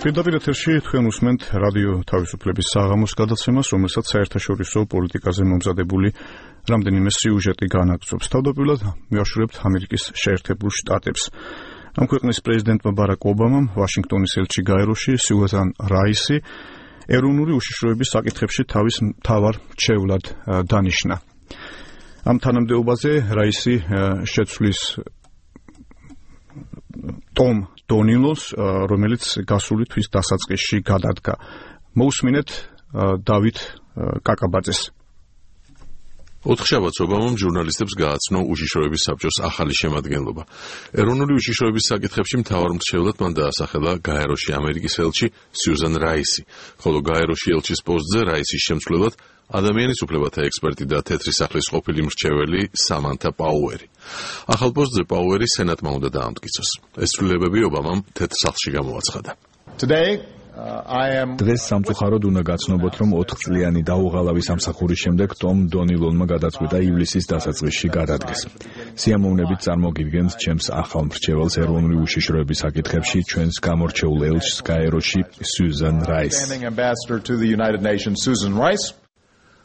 პირდაპირ ეთერში თქვენ უსმენთ რადიო თავისუფლების საღამოს გადაცემას, რომელსაც საერთაშორისო პოლიტიკაზე მომზადებული რამდენიმე სიუჟეტი განაგრძობს. თავდაპირველად მივაშურებთ ამერიკის შეერთებულ შტატებს. ამ ქვეყნის პრეზიდენტმა ბარაკ ობამამ ვაშინგტონის ელჩი გაეროში სიუზან რაისი ეროვნული უშიშროების საკითხებში თავის მთავარ მრჩევლად დანიშნა. ამ თანამდებობაზე რაისი შეცვლის ტომ დონილოს, რომელიც გასული თვის დასაწყისში გადადგა. მოусმინეთ დავით კაკაბაძეს. ოთხშაბათს ობამამ ჟურნალისტებს გააცნო უშიშროების საბჭოს ახალი შემადგენლობა. ეროვნული უშიშროების საკითხებში მთავარ მრჩევლად მან დაასახელა გაეროში ამერიკის ელჩი სიუზან რაისი, ხოლო გაეროში ელჩის პოსტზე რაისის შემცვლელად ადამიანის უფლებათა ექსპერტი და თეთრი სახლის ყოფილი მრჩეველი სამანთა პაუერი. ახალ პოსტზე პაუერი სენატმა უნდა დაამტკიცოს. ეს ცვლილებები ობამამ თეთრ სახლში გამოაცხადა. დღეს სამწუხაროდ უნდა გაცნობოთ, რომ 4 წლიანი დაუღალავი სამსახურის შემდეგ ტომ დონილონმა გადაწყვიტა ივლისის დასაწყისში გადადგეს. სიამოვნებით წარმოგიდგენთ ჩემს ახალ მრჩეველს ეროვნული უშიშროების საკითხებში, ჩვენს გამორჩეულ ელჩს გაეროში სიუზან რაისს.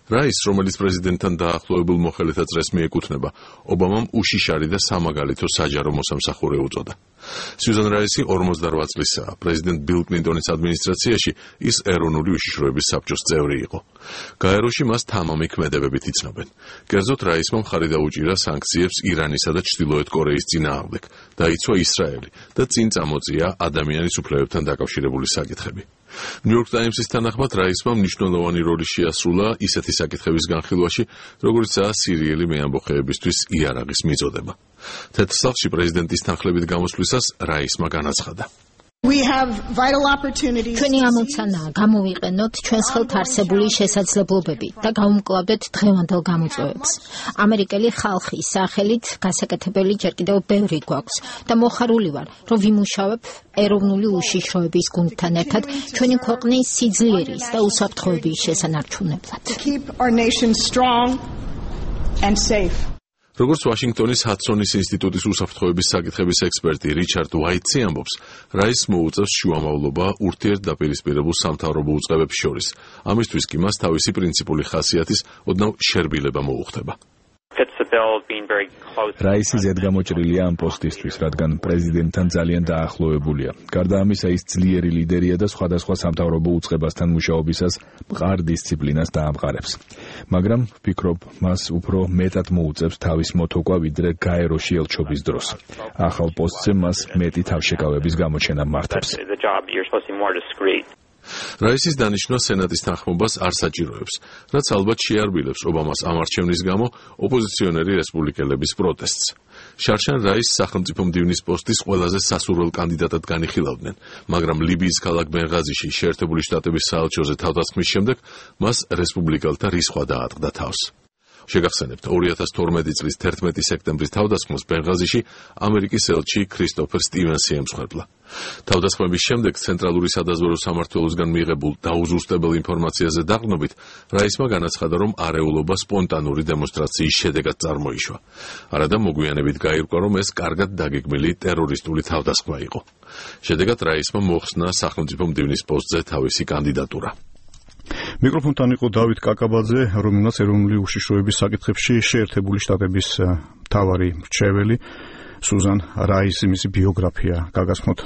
რაის, რომელიც პრეზიდენტთან დაახლოებულ მოხელეთა წრეს მიეკუთვნება, ობამამ უშიშარი და სამაგალითო საჯარო მოსამსახურე უწოდა. სიუზან რაისი 48 წლისაა. პრეზიდენტ ბილ კლინტონის ადმინისტრაციაში ის ეროვნული უშიშროების საბჭოს წევრი იყო. გაეროში მას თამამი ქმედებებით იცნობენ. კერძოდ რაისმა მხარი დაუჭირა სანქციებს ირანისა და ჩრდილოეთ კორეის წინააღმდეგ, დაიცვა ისრაელი და წინ წამოწია ადამიანის უფლებებთან დაკავშირებული საკითხები. ნიუ-იორკ ტაიმსის თანახმად რაისმა მნიშვნელოვანი როლი შეასრულა ისეთი საკითხების განხილვაში, როგორიცაა სირიელი მეამბოხეებისთვის იარაღის მიწოდება. თეთრ სახლში პრეზიდენტის თანხლებით გამოსვლისას რაისმა განაცხადა. ჩვენი ამოცანაა გამოვიყენოთ ჩვენს ხელთ არსებული შესაძლებლობები და გავუმკლავდეთ დღევანდელ გამოწვევებს. ამერიკელი ხალხის სახელით გასაკეთებელი ჯერ კიდევ ბევრი გვაქვს და მოხარული ვარ, რომ ვიმუშავებ ეროვნული უშიშროების გუნდთან ერთად ჩვენი ქვეყნის სიძლიერის და უსაფრთხოების შესანარჩუნებლად. როგორც ვაშინგტონის ჰადსონის ინსტიტუტის უსაფრთხოების საკითხების ექსპერტი რიჩარდ უაიტსი ამბობს, რაისს მოუწევს შუამავლობა ურთიერთდაპირისპირებულ სამთავრობო უწყებებს შორის. ამისთვის კი მას თავისი პრინციპული ხასიათის ოდნავ შერბილება მოუხდება. რაისი ზედგამოჭრილია ამ პოსტისთვის, რადგან პრეზიდენტთან ძალიან დაახლოებულია. გარდა ამისა, ის ძლიერი ლიდერია და სხვადასხვა სამთავრობო უწყებასთან მუშაობისას მყარ დისციპლინას დაამყარებს. მაგრამ ვფიქრობ, მას უფრო მეტად მოუწევს თავის მოთოკვა, ვიდრე გაეროში ელჩობის დროს. ახალ პოსტზე მას მეტი თავშეკავების გამოჩენა მართავს. რაისის დანიშვნა სენატის თანხმობას არ საჭიროებს, რაც ალბათ შეარბილებს ობამას ამ არჩევნის გამო ოპოზიციონერი რესპუბლიკელების პროტესტს. შარშან რაისს სახელმწიფო მდივნის პოსტის ყველაზე სასურველ კანდიდატად განიხილავდნენ, მაგრამ ლიბიის ქალაქ ბენღაზიში შეერთებული შტატების საელჩოზე თავდასხმის შემდეგ მას რესპუბლიკელთა რისხვა დაატყდა თავს. შეგახსენებთ, 2012 წლის 11 სექტემბრის თავდასხმას ბენღაზიში ამერიკის ელჩი ქრისტოფერ სტივენსი ემსხვერპლა. თავდასხმების შემდეგ ცენტრალური სადაზვერო სამმართველოსგან მიიღებულ დაუზუსტებელ ინფორმაციაზე დაყრდნობით, რაისმა განაცხადა, რომ არეულობა სპონტანური დემონსტრაციის შედეგად წარმოიშვა. არადა მოგვიანებით გაირკვა, რომ ეს კარგად დაგეგმილი ტერორისტული თავდასხმა იყო. შედეგად რაისმა მოხსნა სახელმწიფო მდივნის პოსტზე თავისი კანდიდატურა. მიკროფონთან იყო დავით კაკაბაძე, რომელმაც ეროვნული უშიშროების საკითხებში შეერთებული შტატების მთავარი მრჩეველი სიუზან რაისი მისი ბიოგრაფია გაგაცნოთ